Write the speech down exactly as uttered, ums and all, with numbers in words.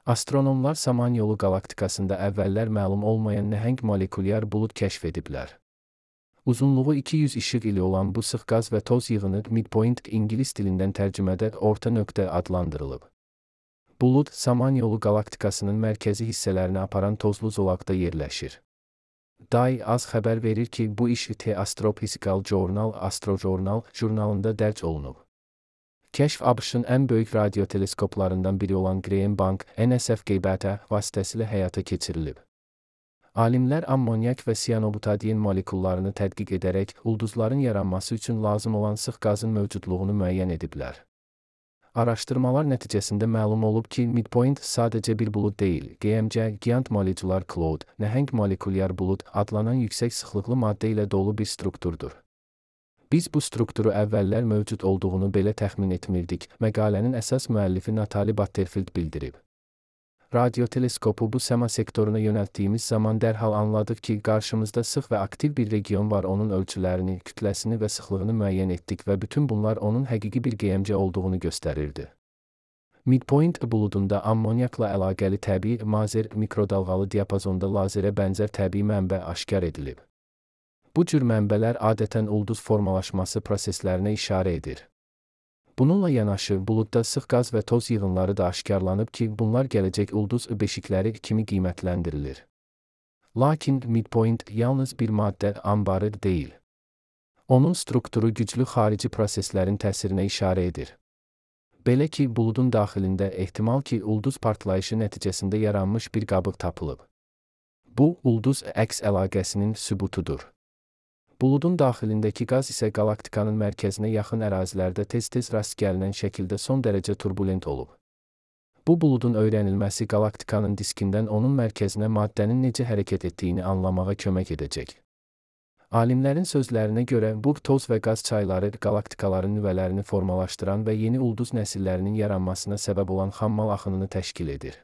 Astronomlar Samanyolu qalaktikasında əvvəllər məlum olmayan nəhəng molekulyar bulud kəşf ediblər. Uzunluğu iki yüz işıq ili olan bu sıx qaz və toz yığını midpoint ingilis dilindən tərcümədə orta nöqtə adlandırılıb. Bulud, Samanyolu qalaktikasının mərkəzi hissələrini aparan tozlu zolaqda yerləşir. D A I az xəbər verir ki, bu iş The Astrophysical Journal Astrojournal jurnalında dərc olunub. Kəşf ABŞ-ın ən böyük radioteleskoplarından biri olan Graham Bank N S F G-beta vasitəsilə həyata keçirilib. Alimlər ammonyak və siyanobutadiyen molekullarını tədqiq edərək ulduzların yaranması üçün lazım olan sıx qazın mövcudluğunu müəyyən ediblər. Araşdırmalar nəticəsində məlum olub ki, midpoint sadəcə bir bulud deyil, G M C Giant Molecular Cloud, nəhəng molekulyar bulud adlanan yüksək sıxlıqlı maddə ilə dolu bir strukturdur. Biz bu strukturu əvvəllər mövcud olduğunu belə təxmin etmirdik, məqalənin əsas müəllifi Natalie Butterfield bildirib. Radioteleskopu bu səma sektoruna yönəltdiyimiz zaman dərhal anladıq ki, qarşımızda sıx və aktiv bir region var, onun ölçülərini, kütləsini və sıxlığını müəyyən etdik və bütün bunlar onun həqiqi bir G M C olduğunu göstərirdi. Midpoint buludunda ammonyakla əlaqəli təbii mazer mikrodalğalı diapazonda lazerə bənzər təbii mənbə aşkar edilib. Bu cür mənbələr adətən ulduz formalaşması proseslərinə işarə edir. Bununla yanaşı, buludda sıx qaz və toz yığınları da aşkarlanıb ki, bunlar gələcək ulduz beşikləri kimi qiymətləndirilir. Lakin midpoint yalnız bir maddə anbarı deyil. Onun strukturu güclü xarici proseslərin təsirinə işarə edir. Belə ki, buludun daxilində ehtimal ki, ulduz partlayışı nəticəsində yaranmış bir qabıq tapılıb. Bu, ulduz əks əlaqəsinin sübutudur. Buludun daxilindəki qaz isə qalaktikanın mərkəzinə yaxın ərazilərdə tez-tez rast gəlinən şəkildə son dərəcə turbulent olub. Bu buludun öyrənilməsi qalaktikanın diskindən onun mərkəzinə maddənin necə hərəkət etdiyini anlamağa kömək edəcək. Alimlərin sözlərinə görə, bu toz və qaz çayları qalaktikaların nüvələrini formalaşdıran və yeni ulduz nəsillərinin yaranmasına səbəb olan xammal axınını təşkil edir.